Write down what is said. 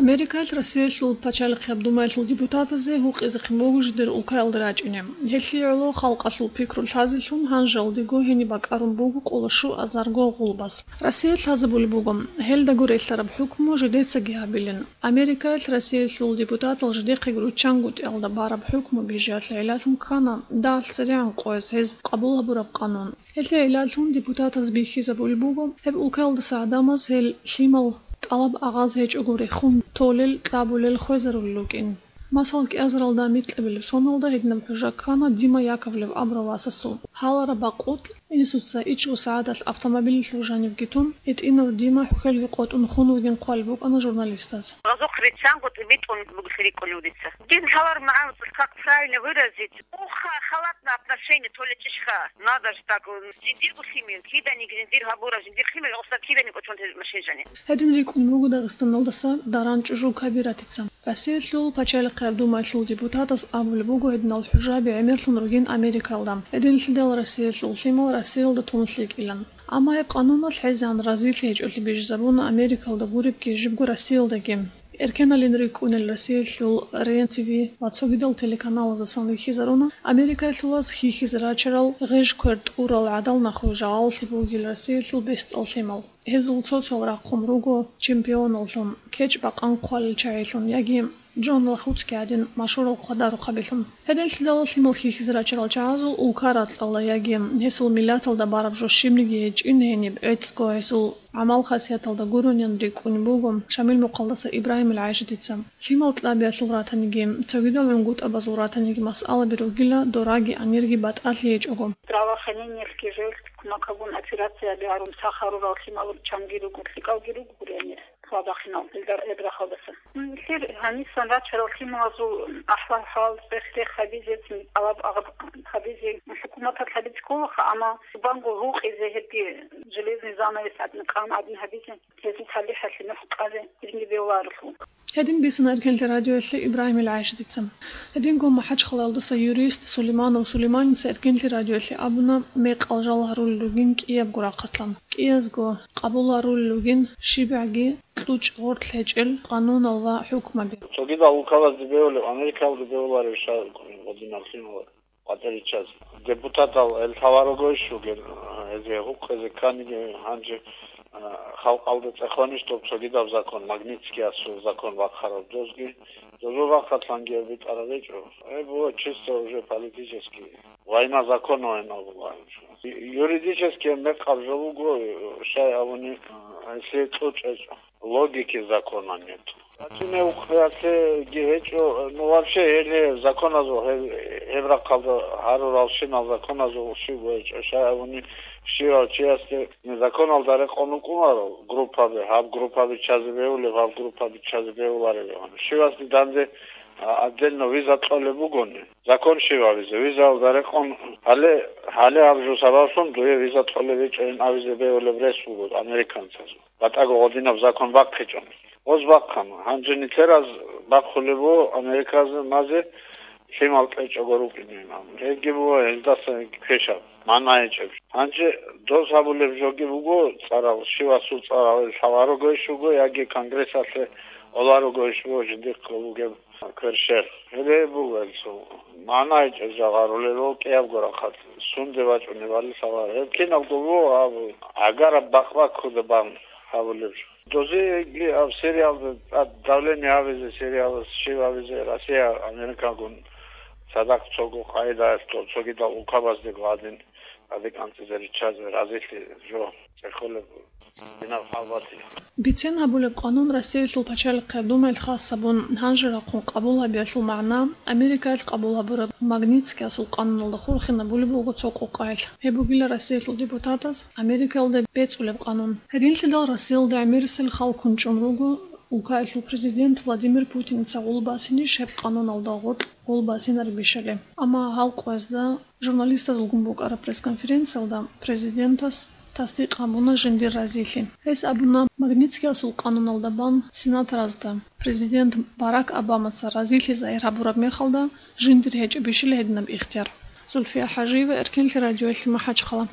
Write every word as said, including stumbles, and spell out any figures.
Америкаялъ Россиялъул пачалихъияб думаялъул депутатазе гьукъизехъин буго жидер улкаялда рачӀине. Гьелъие гӀоло халкъалъул пикру лъазелъун гьанжалдего гьениб бакӀарун буго къолошуазарго гъулбас. Россия лъазабулеб буго, гьелдаго релълъараб хӀукму жидецаги гьабилин. Америкаялъ Россиялъул депутатал жидехъеги руччангутӀиялда бараб хӀукму бижиялъе гӀиллалъун ккана дагьалъ церегӀан къояз гьез къабул гьабураб къанун. Гьелъие гӀиллалъун депутатаз бихьизабулеб буго, гьеб улкаялдаса гӀадамаз гьел лъимал тӀалаб агъаз гьечӀого рехун толел, кьабулел хвезарулел рукӀин. Масал, кӀиазаралда микьабилеб соналда гьединаб хӀужа ккана Дима Яковлев абурав васасул. Гьалараб бакъулъ, инсуца ичӀго сагӀаталъ автомобилалъув жанивги тун, гьитӀинав Дима хӀухьелги къотӀун хун вугин хъвалеб букӀана журналистаз. Гъазухъ риччанго тӀибитӀун бугелъи рикӀкӀунев дица. Дин гьалар магӀна, как правильно выразить? Уха, халатное отношение, то ли чӀишха. Надо ж так, жиндирго лъимер, киданиги жиндир гьабура, жиндир лъимер, оса киданиги кӀочон машин жани. Гьедин рикӀкӀун буго Дагъистаналдаса Даран ЧӀужу Кабиратица. Россиялъул пачалихъияб думаялъул депутатас абулеб буго гьединал хӀужаби гӀемерлъун ругин Америкалда. Гьединлъидал Россиялъул лъимал Россиялда тун лъикӀилан. Амма гьеб къануналъ хӀезегӀан разилъи гьечӀолъи бижизабуна Америкалда гуребги жибго Россиялдаги. Эркеналин рикӀкӀунел Россиялъул Рен ТВ ва цогидал телеканалаздасан вихьизаруна Америкалъулаз хьихьизе рачарал гъеж-квер тӀурал гӀадал нахуе жагъаллъи бугел Россиялъул бесдал лъимал. Гьезул цо-цоял рахъун руго чемпионаллъун, кечӀ-бакъан хъвалел чагӀилъун яги Джон Лахуцки гӀадин машгьурал хъвадарухъабилъун. Гьединлъидал лъимал хьихьизе рачарал чагӀазул улка ракьалда яги гьесул миллаталда бараб жо щибниги гьечӀин гьениб, гӀецӀго гьесул гӀамал-хасияталда гурониан рикӀкӀунеб буго Шамил мухъалдаса Ибрагьимил ГӀайшатица. Лъимал кьабиялъул ратаниги, цогидал гӀунгутӀабазул ратаниги масъалаби ругила дораги анирги батӀалъи гьечӀого. Здравоохранениялъги жеялъ кумакагун операцияби гьарун сах гьарурал лъимал чанги руго, лъикӀалги руго гури гьанир. Хабахъинал, гьелда гьеб рахъалдаса. Нилъер гьанисан рачарал лъималазул ахӀвал-хӀал, цӀех-рех гьабизе, тӀалаб-агъаб гьабизе, хӀукуматалъ гьабизе кколаха, амма зубанго гьукъизе гьебги железный занавес гӀадин, къан гӀадин гьабизе, гьезул талихӀалъе нух къазе гьединги бегьуларелъул. Гьедин бицана Эркенлъи радиоялъе Ибрагьимил ГӀайшатица. Гьединго МахӀачхъалаялдаса юрист Сулейманов Сулейманица Эркенлъи радиоялъе абуна, мекъал жал гьарулел ругин кӀиябго рахъалъан. КӀиязго къабул гьарулел ругин щибгӀаги кьучӀ-гъоркь гьечӀел къанунал ва хӀукмаби. Цогидал улкалазде бегьулеб, Америкалде бегьуларев ша гъодинаб лъимал къватӀир риччазе. Депутатал гьел лъаларого иш вугел, гьезие гьукъизе кканиги гьанже, а, халкъалда цӀехонищ доб цогидаб закон, Магнитскиясул закон бахъараб дозги, дозул рахъалъанги гьеб битӀараб гьечӀо. Гьеб буго чисто уже политический война законов гьениб буго гьанже. Юридически мекъаб жо буго, щай абуни, а, если кьучӀ гьечӀо. Логики закона нет. Гьачине ухъиялъеги гьечӀо, ну, вообще, гьеле законазул, гьеб, гьеб рахъалда гьаруралщинал законазул щибго гьечӀо, щай абуни, щивав чиясде законалда рекъон вукӀунаро группаби, гьаб группаби чазе бегьулеб, гьаб группаби чазе бегьулареб абун. Щивасде данде, а, отдельно виза кьолеб бугони, закон щибабизе, визаялда рекъон, гьале, гьале гьаб жо сабаблъун дуе виза кьолеб гьечӀо ин абизе бегьулеб рес буго американцазул. БатӀаго гъодинаб закон бахъичӀони. Гъоз бахъана. Гьанже нилъераз бахъулеб буго Америказе лъимал кьечӀого рукӀинин абун. Гьебги буго гьелдаса квешаб, магӀна гьечӀеб. Гьанже доз гьабулеб жоги буго цӀарал, щивасул цӀарал, лъаларого иш вуго яги Конгрессалъе оларого иш вуго жиндихъго бугеб кверщел. Гьеб буго гьелъул магӀна гьечӀеб жо гьарулел, кӀиябго рахъалъ сунде бачӀунебали лъаларо. Гьеб кинабго буго гьаб гӀагараб бакъбаккуда бан гьабулеб жо. Дозиеги гьаб Сириялда тӀад давление гьабизе, Сириялас щиб гьабизе, Россия Америкагун цадахъ цого къагӀидаялъ цогидал улкабаздего гьадин тӀаде кӀанцӀизе риччазе разилъи жо цӀехолеб. Динаб хӀал батила. Бицен гьабулеб къанун Россиялъул пачалихъияб думаялъ хас гьабун, гьанже рахъун къабул гьабиялъул магӀна, Америкаялъ къабул гьабураб Магнитскиясул къануналда хурхинабулеб буго цо къокъаялъ. Гьеб бугила Россиялъул депутатаз Америкаялда бецӀулеб къанун. Гьединлъидал Россиялда гӀемерисел хал кунчӀун руго улкаялъул президент Владимир Путиница гъул басинищ гьеб къануналда гъоркь гъул басинареб бищали. Амма гьал къоязда журналистазулгун букӀараб пресс-конференциялда президентас тасдикъ гьабуна жиндир разилъи. Гьес абуна, Магнитскиясул къануналда бан сенаторазда президент Барак Обамаца разилъи загьир гьабураб мехалда жиндир гьечӀеб бищила гьединаб ихтияр. Зульфия ХӀажиева, Эркенлъи радиоялъе, МахӀачхъала.